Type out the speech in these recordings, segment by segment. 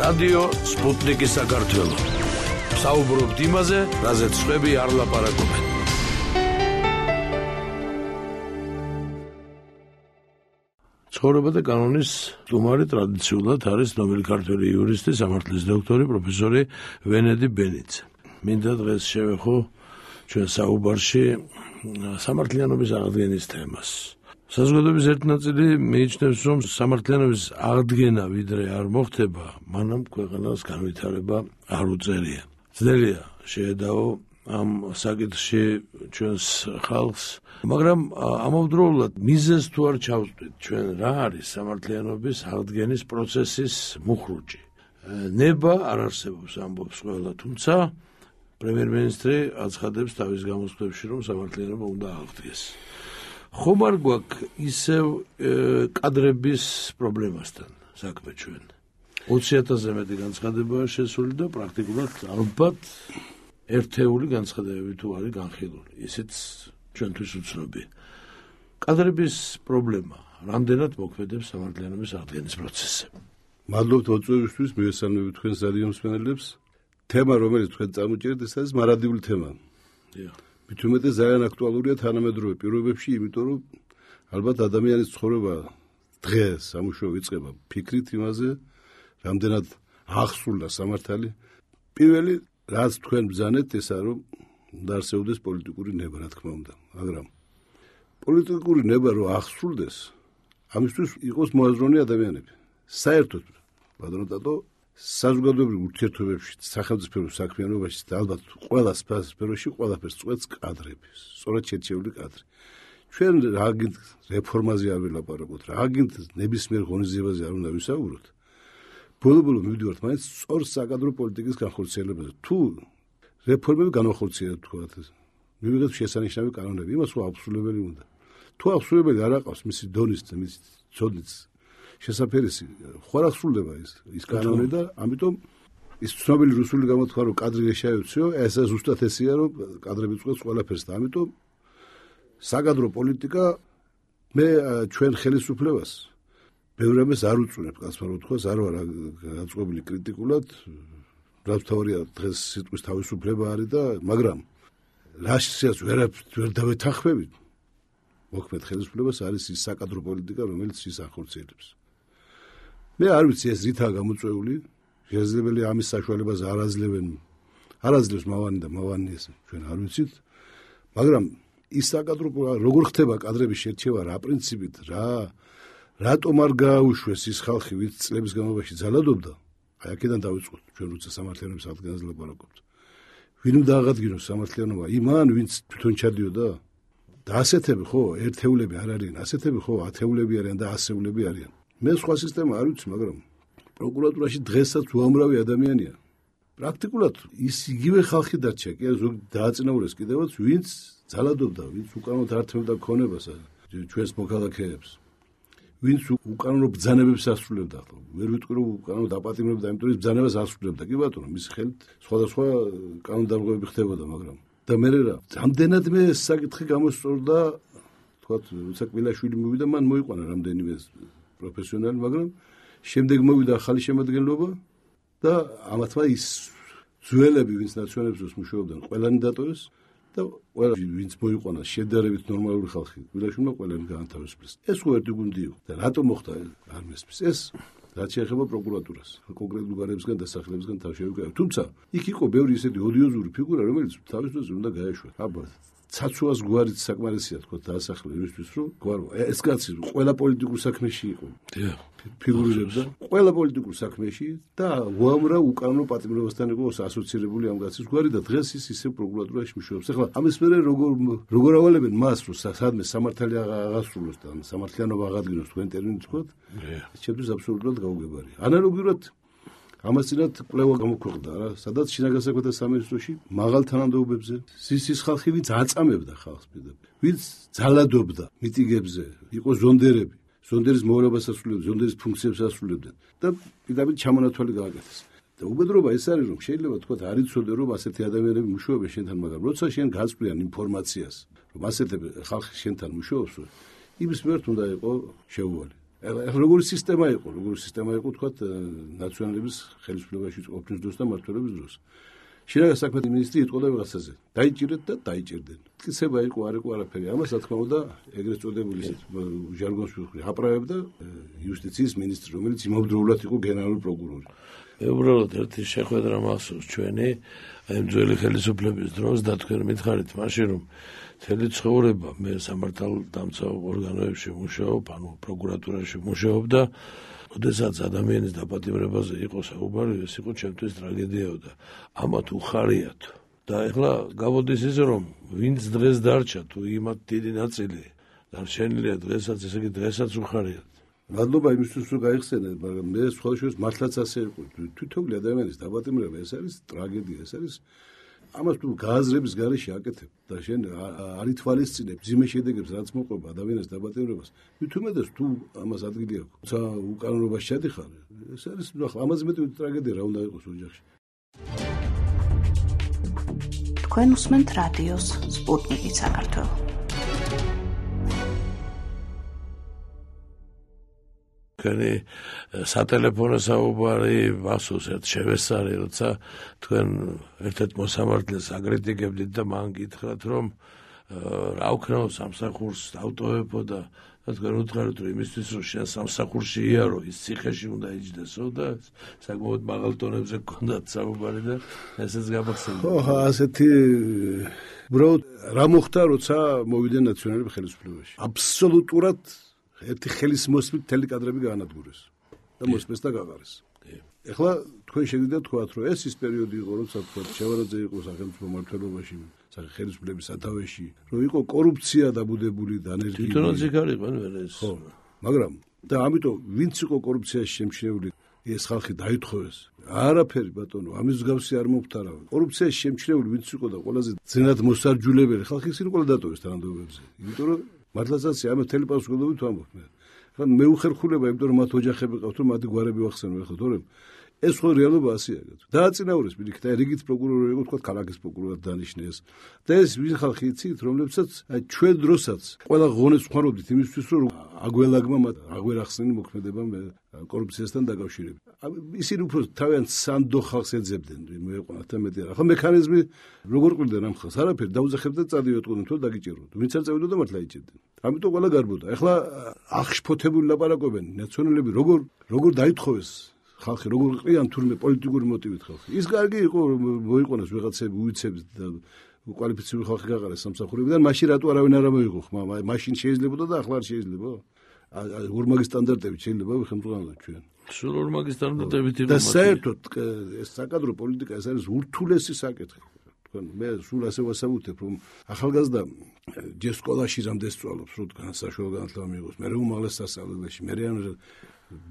რადიო სპუტნიკი საქართველო. საუბრობთ იმაზე, რაზეც სხვები არ ლაპარაკობენ. ცხოვრება და კანონის სტუმარი ტრადიციულად არის ნომელი ქართველი იურისტი, სამართლის დოქტორი, პროფესორი ვენედი ბენიძე. მინდა დღეს შევეხო ჩვენ საუბარში სამართლიანობის აღდგენის თემას. საზოგადოების ერთ ნაწილი მიიჩნევს, რომ სამართლიანობის აღდგენა ვიდრე არ მოხდება, მანამ ქვეყანას განვითარება არ უწევია. ძნელია შეედაო ამ საკითხში ჩვენს ხალხს, მაგრამ ამავდროულად მიზეზს თუ არ ჩავწვდით, ჩვენ რა არის სამართლიანობის აღდგენის პროცესის მუხრუჭი. ნება არ არსებობს ამბობს ყველა, თუმცა პრემიერ-მინისტრი აცხადებს თავის გამოსვლებში, რომ სამართლიანობა უნდა აღდგეს. ხომ არ გვაქვს ისევ კადრების პრობლემასთან საქმე ჩვენ. 20,000-ზე მეტი განცხადებაა შესული და პრაქტიკულად ალბათ ერთეული განცხადებები თუ არის განხილული. ისიც ჩვენთვის უცნობია. კადრების პრობლემა რამდენად მოქმედებს სამართლიანობის აღდგენის პროცესზე? მადლობთ მოწვევისთვის, მივესალმებით თქვენს რადიო მსმენელებს. თემა, რომელიც თქვენ წამოჭერეთ, ეს არის მარადიული თემა. მით უმეტეს ძალიან აქტუალურია თანამედროვე პირობებში, იმიტომ რომ ალბათ ადამიანის ცხოვრება დღეს სამუშაო იწყება ფიქრით იმაზე, რამდენად აღსრულდა სამართალი. პირველი, რაც თქვენ ბრძანეთ, ესა რომ უნდა არსებობდეს პოლიტიკური ნება, რა თქმა უნდა, მაგრამ პოლიტიკური ნება რომ აღსრულდეს, ამისთვის იყოს მოაზროვნე ადამიანები. საერთოდ, ბატონო დადო, საზოგადოებრივ ურთიერთობებში, სახელმწიფო საქმიანობაში და ალბათ ყველა სფეროში ყველაფერს წვეთს კადრები, სწორად შერჩეული კადრი. ჩვენ რაგინდ რეფორმაზე არ ვილაპარაკოთ, რაგინდ ნებისმიერ ღონისძიებაზე არ უნდა ვისაუბროთ. ბოლო-ბოლო მივიდივართ მაინც სწორ საკადრო პოლიტიკის განხორციელებაზე. თუ რეფორმები განახორციელოთ, თქვათ, მივიღეთ შესანიშნავი კანონები, იმას უაბსოლუტებელი უნდა. თუ აბსოლუტებელი არ აყავს მისი დონის და მისი ცოდნის შესაფერისი, ხوار აღსრულდება ის კანონი და ამიტომ ის ცნობილი რუსული გამოთქვა რომ კადრი შეაიციო, ეს ზუსტად ესია რომ კადრები წყვეტს ყველაფერს და ამიტომ საკადრო პოლიტიკა მე ჩვენ ხელისუფლებას ბევრებეს არ უწუნებ, კაცმარო თქვას, არ ვარ გაწყობილი კრიტიკულად, რაც თავია დღეს სიტყვის თავისუფლება არის და მაგრამ რაშიაც ვერ დავეთანხმებით. მოქმედ ხელისუფლებას არის ის საკადრო პოლიტიკა, რომელიც ის ახორციელებს. მე არ ვიცი ეს რითაა გამოწვეული, შესაძლებელია ამის საშუალებას არ აძლევს მავანი და მავანი ეს ჩვენ არ ვიცით, მაგრამ ის საკადრო როგორ ხდება კადრების შერჩევა რა პრინციპით, რატომ არ გააუშვეს ის ხალხი, ვინც წლების განმავლობაში ძალადობდა, აი აქედან დავიწყოთ, ჩვენ როცა სამართლიანობის აღდგენაზე ლაპარაკობთ. ვინ უნდა აღადგინოს სამართლიანობა? იმან, ვინც თვითონ ჩადიოდა? და ასეთები ხო, ერთეულები არ არიან, ასეთები ხო, ათეულები არიან და ასეულები არიან. მე სხვა სისტემა არ ვიცი, მაგრამ პროკურატურაში დღესაც უამრავი ადამიანია. პრაქტიკულად ის იგივე ხალხი დარჩა, კი ზოგ დააწინაურეს კიდევაც, ვინც ძალადობდა, ვინც უკანონოდ ართმევდა ქონებას ჩვენს მოქალაქეებს. ვინც უკანონო ბრძანებებს ასრულებდა, ვერ ვიტყვი რომ უკანონოდ აპატიმრებდა, იმიტომ რომ ბრძანებას ასრულებდა, კი ბატონო, მის ხელით სხვადასხვა კანონდარღვევები ხდებოდა, მაგრამ და მე რა, რამდენადმე საკითხი გამოსწორდა, თქვათ, როცა კვილაშვილი მოვიდა, მან მოიყვანა რამდენიმე პროფესიონალი, მაგრამ შემდეგ მოვიდა ახალი შემადგენლობა და ამათმა ის ძველები, ვინც ნაციონალებს მუშაობდნენ, ყველანი დატოვეს და ყველა ვინც მოიყვანა შედარებით ნორმალური ხალხი, კვილაშვილმა ყველანი გაანთავისუფლეს. ეს ხო ერთი გუნდი იყო და რატომ მოხდა არ მესმის ეს? რაც შეეხება პროკურატურას, კონკრეტულ გარემოსგან დასახლებისგან თავშევიკავე. თუმცა იქ იყო ბევრი ისეთი ოდიოზური ფიგურა, რომელიც თავის დროზე უნდა გაეშვა. აბა, ცაცუას გვარით საკმარისია თქო დაასახლე იმისთვის, რომ გვარო ეს კაცი ყველა პოლიტიკურ საქმეში იყო. ფიგურირებდა ყველა პოლიტიკურ საქმეში და უამრავ უკანონო პატიმრებასთან იყო ასოცირებული ამ კაცის გვარი და დღეს ის ისე პროკურატურაში მუშაობს. ახლა ამის მერე როგორ ავალებენ მას, რომ სადმე სამართალი აღასრულოს და სამართლიანობა აღადგინოს თქვენ ტერმინით თქვათ, ჩემთვის აბსოლუტურად გაუგებარია. ანალოგიურად ამასწინათ კვლევა გამოქვეყნდა რა, სადაც შინაგან საქმეთა სამინისტროში მაღალ თანამდებობებზე ის ხალხი, ვინც აწამებდა ხალხს პირდაპირ, ვინც ძალადობდა მიტინგებზე, იყო ზონდერები, ზონდერის მოვალებას ასრულებდნენ, ზონდერის ფუნქციებს ასრულებდნენ და პირდაპირ ჩამონათვალი გააკეთეს. და უბედრობა ეს არის, რომ შეიძლება თქვათ არ იცოდე, რომ ასეთი ადამიანები მუშაობენ შენთან, მაგრამ როცა შენ გაწვდიან ინფორმაციას, რომ ასეთი ხალხი შენთან მუშაობს, იმის მიმართ უნდა იყო შეუვალი. როგორი სისტემა იყო თქვათ ნაციონალების ხელისუფლებაში ყოფნის დროს და მმართველობის დროს. შინაგან საქმეთა მინისტრი იტყოდა ვიღაცაზე. დაიჭირეთ და დაიჭირდნენ. მტკიცება იყო, არ იყო არაფერი. ამას რა თქმა უნდა, ეგრეთ წოდებული ჟარგონს ვიხრი, აპრაებდა იუსტიციის მინისტრი, რომელიც იმავდროულად იყო გენერალური პროკურორი. უბრალოდ ერთი შეხვედრა მახსოვს ჩვენი აი ძველი ხელისუფლების დროს და თქვენ მითხარით მაშინ რომ მთელი ცხოვრება მე სამართალდამცავ ორგანოებში მუშაობ, ანუ პროკურატურაში მუშაობ და როდესაც ადამიანის დაპატიმრებაზე იყო საუბარი, ეს იყო ჩემთვის ტრაგედიაო და ამათ უხარიათ. და ეხლა გამოდის ის რომ ვინც დღეს დარჩა თუ იმათ დიდი ნაწილი დარჩენილია დღესაც, ესე იგი დღესაც უხარიათ. მადლობა იმისთვის რომ გაიხსენეთ, მაგრამ მე სხვადასხვა მართლაც ასე იყო. თვითონული ადამიანის დაპატიმრება ეს არის ტრაგედია, ეს არის ამას თუ გააზრების გარეშე აკეთებ და შენ არ ითვალისწინებ ძიმე შედეგებს რაც მოყვება ადამიანის დაპატიმრებას, მithumedes თუ ამას ადგილი აქვს. თუმცა უკანონობაში შედიხარ, ეს არის ახლა ამაზე მეტი ტრაგედია რა უნდა იყოს ოჯახში. თქვენ უსმენთ რადიოს სპუტნიკი საქართველო. თქვენი სატელეფონო საუბარი მახსოვს ერთ შევესწარი, როცა თქვენ ერთ-ერთ მოსამართლეს აკრიტიკებდით და მან გითხრათ რომ რა ვქნაო სამსახურს დავტოვებო და თქვენ უთხარით რომ იმისთვის რომ შენ სამსახურში იარო ის ციხეში უნდა იჯდესო და საკმაოდ მაღალ ტონებზე გქონდათ საუბარი და ესეც გამახსენდა. ხო, ასეთი უბრალოდ რა მოხდა როცა მოვიდნენ ნაციონალები ხელისუფლებაში. აბსოლუტურად ერთი ხელის მოსმით მთელი კადრები გაანადგურეს და მოსმეს და გაყარეს. ეხლა თქვენ შეგიძლიათ თქვათ, რომ ეს ის პერიოდი იყო, როცა თქვათ შევარაძე იყო სახელმწიფო მმართველობაში, ხელისუფლების სათავეში, რომ იყო კორუფცია დაბუდებული და ანერგიული. თვითონაც იქ არ იყვნენ ეს. ხო, მაგრამ და ამიტომ ვინც იყო კორუფციაში შემჩნეული, ეს ხალხი დაითხოვეს. არაფერი ბატონო, ამის მსგავსი არ მომხდარა. კორუფციაში შემჩნეული ვინც იყო და ყველაზე ძნად მოსარჯულებელი ხალხი ისინი ყველა დატოვეს თანამდებობებზე. იმიტომ რომ მართლაც ამ მთელი პასუხისმგებლობით ვამბობ მე. ხა მე უხერხულება, იმიტომ რომ მათ ოჯახები ყავთ, რომ მათი გვარები ვახსენო ახლა, თორემ ეს ხო რეალობა ასეა. დააწინაურეს პირიქით, აი რიგით პროკურორი იყო, თქვა ქალაქის პროკურორად დანიშნეს. და ეს ვინ ხალხი იცით, რომლებსაც აი ჩვენ დროსაც ყველა ღონეს ვხმარობდით იმისთვის, რომ აგველაგმა მათ აგვერახსნენ მოქმედება კორუფციასთან დაკავშირებით. ისინი უფრო თავიანთ სანდო ხალხს ეძებდნენ, მოეყვანათ და მეტი არა. ხო მექანიზმი როგორ ყვირდნენ ამ ხალხს? არაფერი, დაუძახებდნენ წადიოდნენ, თუ დაგიჭიროთ. ვინც არ წავიდოდა მართლა იჭირდნენ. ამიტომ ყველა გარბოდა. ეხლა აღშფოთებული ლაპარაკობენ ნაციონალები როგორ დაითხოვეს ხალხი, როგორ ყრიან თურმე პოლიტიკური მოტივით ხალხი. ის კარგი იყო მოიყვანოს ვიღაცები უიცებს და კვალიფიციური ხალხი გაყარეს სამსახურებიდან, მაშინ რატო არავინ არ მოიღო ხმა? მაშინ შეიძლებოდა და ახლა არ შეიძლება? ორმაგი სტანდარტებით შეიძლება ვიხმოვანოთ ჩვენ. სულ ორმაგი სტანდარტებით იყო. და საერთოდ ეს საკადრო პოლიტიკა ეს არის ურთულესი საკითხი. თქვენ მე სულ ასე ვასაუბრებ, რომ ახალგაზრდა ჯერ სკოლაში რამდენ სწავლობს, რომ განსაშვალო განათლება მიიღოს, მე უმაღლეს სასწავლებელში, მე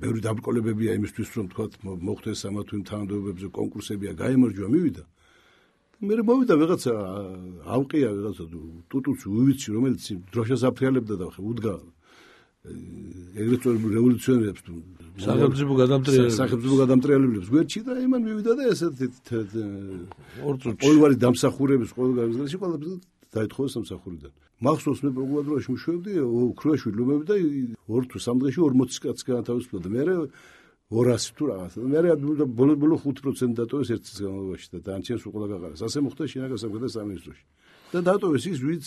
ბევრი დაბრკოლებებია იმისთვის, რომ თქვათ მოხდეს ამა თუ იმ თანამდებობებზე კონკურსებია, გაემარჯვა, მივიდა. მე მოვიდა ვიღაცა ავყია ვიღაცა ტუტუც უვიცი, რომელიც დროშას აფრიალებდა და უდგა ეგრეთ წოდებული რევოლუციონერებს სახელმწიფო გადამტრიალებლებს გვერდში და იმან მივიდა და ესეთი ყოველგვარი დამსახურების ყოველგვარი ყველა დაითხოვეს სამსახურიდან. მახსოვს მე პროკურატურაში მუშაობდი, ოქროაშვილი ლომები და 2 თუ 3 დღეში 40 კაცს განათავისუფლდა და მე 200 თუ რაღაცა. მე ბოლო 5% დატოვეს ერთ წლის განმავლობაში და დანარჩენს უყოლა გაყარეს. ასე მოხდა შინაგან საქმეთა სამინისტროში. და დატოვეს ის, ვინც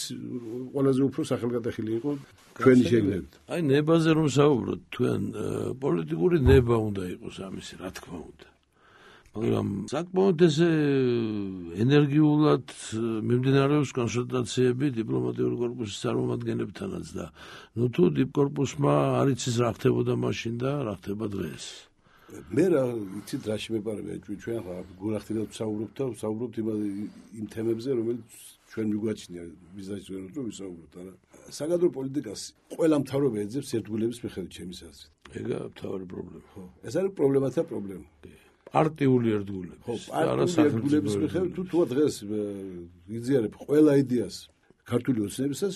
ყველაზე უფრო სახელგატეხილი იყო ჩვენი შეგნებით. აი ნებაზე რომ საუბრობთ, თქვენ პოლიტიკური ნება უნდა იყოს ამისი, რა თქმა უნდა. მაგრამ საკმაოდ ესე ენერგიულად მიმდინარეობს კონსულტაციები დიპლომატიური კორპუსის წარმომადგენლებთანაც და ნუ თუ დიპკორპუსმა არ იცის რა ხდებოდა მაშინ და რა ხდება დღეს. მე რა იცით რა შემეპარებია ჩვენ ახლა გულახდილად ვსაუბრობთ იმ თემებზე, რომელიც ჩვენ მიგვაჩნია ვიზაჟერად რომ ვისაუბროთ, არა. საკადრო პოლიტიკას ყველა მთავრობა ეძებს ერთგულების მიხედვით ჩემის აზრით. ეგაა მთავარი პრობლემა. ხო, ეს არის პრობლემათა პრობლემა. პარტიული ერთგულების. ხო, პარტიული ერთგულების მიხედვით თუ დღეს იზიარებ ყველა იდეას ქართული ოცნებისას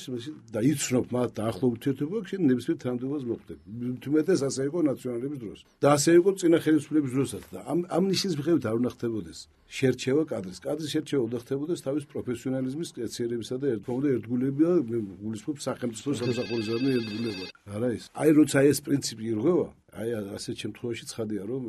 და იცნობ მათ დაახლოებით ურთიერთობა აქვს, ნებისმიერ თანამდებობას მოხდები. თუმეტეს ასე იყო ნაციონალების დროს. და ასე იყო წინა ხელისუფლების დროსაც და ამ ნიშნის მიხედვით არ უნდა ხდებოდეს შერჩევა კადრის. კადრის შერჩევა უნდა ხდებოდეს თავის პროფესიონალიზმის, კეციერებისა და ერთგულება, გულისხმობ სახელმწიფო სამსახურისა და ერთგულება. არა ის. აი როცა ეს პრინციპი ირღვევა, აი ასეთ შემთხვევაში ცხადია, რომ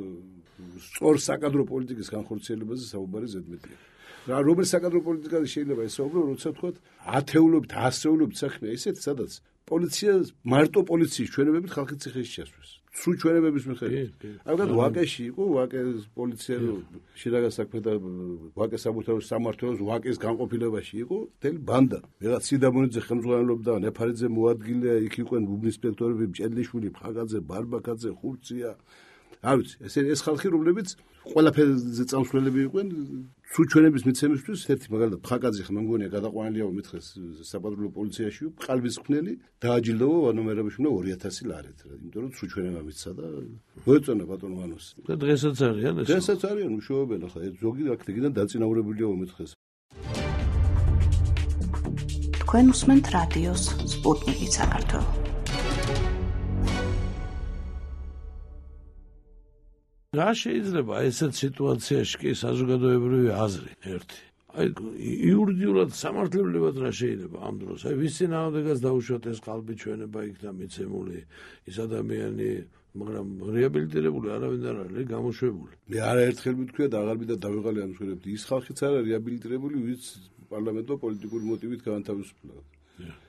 სწორ საკადრო პოლიტიკის განხორციელებაზე საუბარი ზედმეტია. რა რომელი საკადრო პოლიტიკაზე შეიძლება ესაუბრო, როცა თქვათ ათეულობით, ასეულობით საქმეა ისეთ, სადაც პოლიცია მარტო პოლიციის ჩვენებებით ხალხის ციხეში ჩასვეს. სულ ჩვენებების მიხედვით. ამიტომ ვაკეში იყო, ვაკეს პოლიცია შინაგან საქმე და ვაკეს საბუთაოს სამმართველოს ვაკეს განყოფილებაში იყო მთელი ბანდა. ვიღაც სიდამონიძე ხელმძღვანელობდა, ნეფარიძე მოადგილე, იქ იყვნენ უბნისპექტორები, მჭედლიშვილი, ფხაგაძე, ბარბაკაძე, ხურცია. არ ვიცი, ეს ხალხი რომლებიც ყველაფერზე წამსვლელები იყვნენ სულ ჩვენების მიცემისთვის ერთი მაგალითად ფხაკაძე ხა მგონია გადაყვანილიაო მითხეს საპატრულო პოლიციაში ყალბის ხნელი დააჯილდოვა ვანომერებიშვილი 2000 ლარით რა იმიტომ რომ სულ ჩვენებმა მისცა და მოეწონა ბატონო ვანოს და დღესაც არიან ეს დღესაც არიან უშუალობენ ახლა ზოგი აქტიდან დაწინაურებულია მითხეს თქვენ უსმენთ რადიოს სპუტნიკი საქართველო რა შეიძლება ესეთ სიტუაციაში კი საზოგადოებრივი აზრი ერთი აი იურიდიულად სამართლებრივად რა შეიძლება ამ დროს აი ვის წინააღმდეგაც დაუშვათ ეს ყალბი ჩვენება იქნა მიცემული ის ადამიანი მაგრამ რეაბილიტირებული არავინ არ არის გამოშვებული მე არაერთხელ მithქვია და აღარ მინდა დავიღალე ამ შეგებდი ის ხალხიც არა რეაბილიტირებული ვინც პარლამენტო პოლიტიკური მოტივით განთავისუფლდა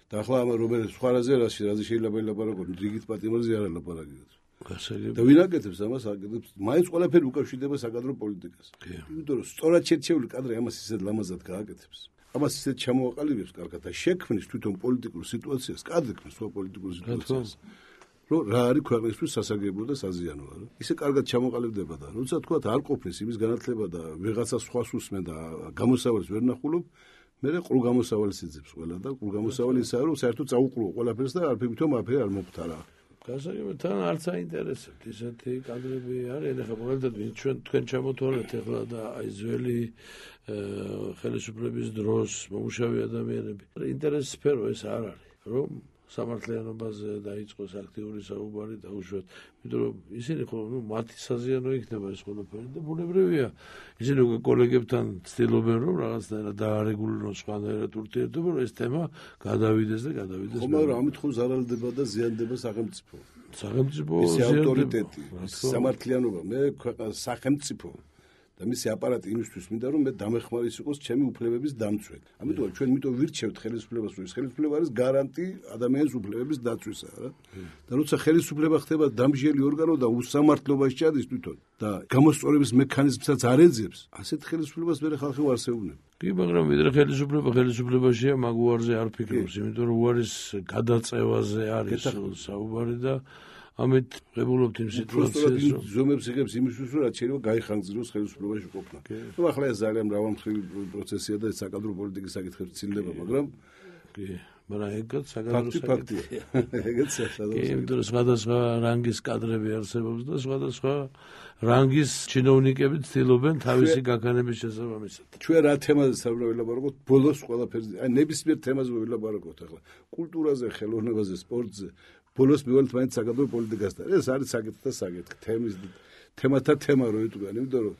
და ახლა ამ რომელიც სხვა რაზე შეიძლება ელაპარაკონ რიგით პატიმარზე არ ელაპარაკიოთ და ვინ აკეთებს ამას აკეთებს მაინც ყველაფერი უკავშირდება საკადრო პოლიტიკას იმიტომ რომ სწორად შერჩეული კადრი ამას ისეთ ლამაზად გააკეთებს ამას ისეთ ჩამოაყალიბებს კარგად და შექმნის თვითონ პოლიტიკურ სიტუაციას კადრებს სხვა პოლიტიკურ სიტუაციას რომ რა არის ქვეყნისთვის სასარგებლო და საზიანოა რა ისე კარგად ჩამოყალიბდება და როცა თქვა არ ყოფნის იმის განათლება და ვიღაცა სხვას უსმენ და გამოსავალს ვერ ნახულობ მე ყრუ გამოსავალს იძებს ყველა და ყრუ გამოსავალი ისაა რომ საერთოდ წაუყურო ყველაფერს და არ ფიქრობაფერი არ მოხდარა გასაგებია თან არც აინტერესებთ ისეთი კადრები არიან ახლა მაგალითად ჩვენ თქვენ ჩამოთვალეთ ახლა და აი ძველი ხელისუფლების დროს მომუშავე ადამიანები ინტერესის სფერო ეს არ არის რომ სამართლიანობაზე დაიწყოს აქტიური საუბარი დაუშვათ იმიტომ რომ ისინი ხო მათი საზიანო იქნება ეს ყველაფერი და ბუნებრივია ისინი უკვე კოლეგებთან ცდილობენ რომ რაღაცნაირად დაარეგულირონ სხვანაირად ურთიერთობა რომ ეს თემა გადავიდეს და გადავიდეს ხო მაგრამ ამით ხო ზარალდება და ზიანდება სახელმწიფო ის ავტორიტეტი სამართლიანობა მე ქვეყანას სახელმწიფო და მისი აპარატი იმისთვის მინდა რომ მე დამეხმარის იყოს ჩემი უფლებების დამცველი. ამიტომ ჩვენ მიტომ ვირჩევთ ხელისუფლებას, რომ ეს ხელისუფლება არის გარანტი ადამიანის უფლებების დაცვისა, რა. და როცა ხელისუფლება ხდება დამსჯელი ორგანო და უსამართლობაში ჩადის თვითონ და გამოსწორების მექანიზმსაც არ ეძებს, ასეთ ხელისუფლებას მე ხალხი ვარსევნებ. კი, მაგრამ ვიდრე ხელისუფლებაშია მაგ უარზე არ ფიქრობს, იმიტომ რომ უარის გადაწევაზე არის საუბარი და ამით ღებულობთ იმ სიტუაციას რომ ზომებს იღებს იმისთვის რომ რაც შეიძლება გაიხანგძროს ხელისუფლებაში ყოფნა. ნუ ახლა ეს ძალიან მრავალმხრივი პროცესია და საკადრო პოლიტიკის საკითხები ცილდება, მაგრამ კი, მაგრამ ეგეც საკადრო ფაქტია. ეგეც კი, იმიტომ რომ სხვადასხვა რანგის კადრები არსებობს და სხვადასხვა რანგის ჩინოვნიკები ცდილობენ თავისი გაქანების შესაბამისად. ჩვენ რა თემაზე საუბრობთ, ბოლოს ყველაფერზე, აი ნებისმიერ თემაზე ვილაპარაკოთ ახლა. კულტურაზე, ხელოვნებაზე, სპორტზე ბოლოს მივალთ მაინც საკადრო პოლიტიკასთან. ეს არის საკითხთა საკითხი, თემათა თემა რო იტყვიან, იმიტომ რომ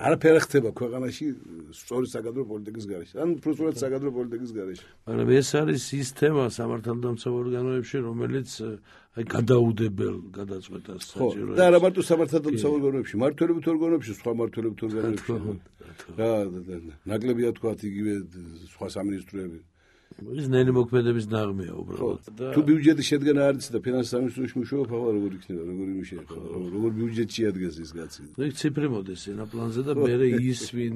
არაფერი ხდება ქვეყანაში სწორი საკადრო პოლიტიკის გარეშე. ან უბრალოდ საკადრო პოლიტიკის გარეშე. მაგრამ ეს არის ის თემა სამართალდამცავ ორგანოებში, რომელიც აი გადაუდებელ გადაწყვეტას საჭიროებს. და არა მარტო სამართალდამცავ ორგანოებში, მმართველობით ორგანოებში, სხვა მმართველობით ორგანოებში. რა ნაკლებია თქვა იგივე სხვა სამინისტროები. ის ნელი მოქმედების ნაღმეა უბრალოდ. თუ ბიუჯეტი შედგენა არ იცი და ფინანსის სამინისტროში მუშაობ, ახლა როგორ იქნება, როგორ იმიშება, როგორ ბიუჯეტი შეადგენს ის კაცი. ნუ ციფრი მოდის ენა პლანზე და მე ის ვინ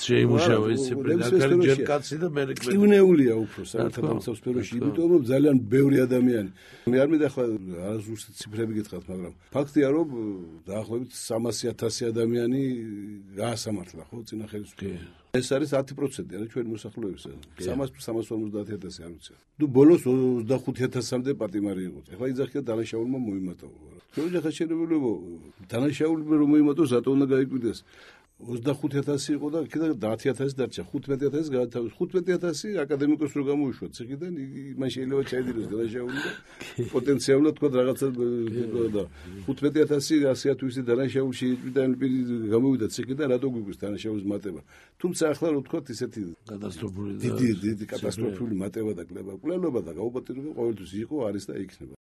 შეიმუშავა ეს ციფრი და კარჯერ კაცი და მე კივნეულია უფრო სამართალდამცავ სფეროში, იმიტომ რომ ძალიან ბევრი ადამიანი. მე არ მინდა ახლა არასდროს ციფრები გითხრათ, მაგრამ ფაქტია რომ დაახლოებით 300,000 ადამიანი გაასამართლა ხო წინა ხელისუფლებაში. ეს არის 10% არა ჩვენი მოსახლეობისა. 350,000 არ ვიცი. ნუ ბოლოს 25,000-მდე პატიმარი იყო. ეხლა იძახია დანაშაულმა მოიმატა. შეიძლება ხა შეიძლება დანაშაულმა რომ მოიმატოს, რატო უნდა გაიკვირდეს? 25,000 იყო და იქიდან 10,000 დარჩა, 15,000 გაათავისუფლეს. 15,000 აკადემიკოს რო გამოუშვათ ციხიდან, მან შეიძლება ჩაიდიროს დანაშაული და პოტენციალურად თქვა რაღაცა და 15,000 100,000 დანაშაული შეიჭრიდა პირი გამოვიდა ციხიდან, რატო გვიგვის დანაშაულის მატება. თუმცა ახლა რო თქვა ისეთი კატასტროფული დიდი კატასტროფული მატება და კლებობა და გაუპატიურება ყოველთვის იყო, არის და იქნება.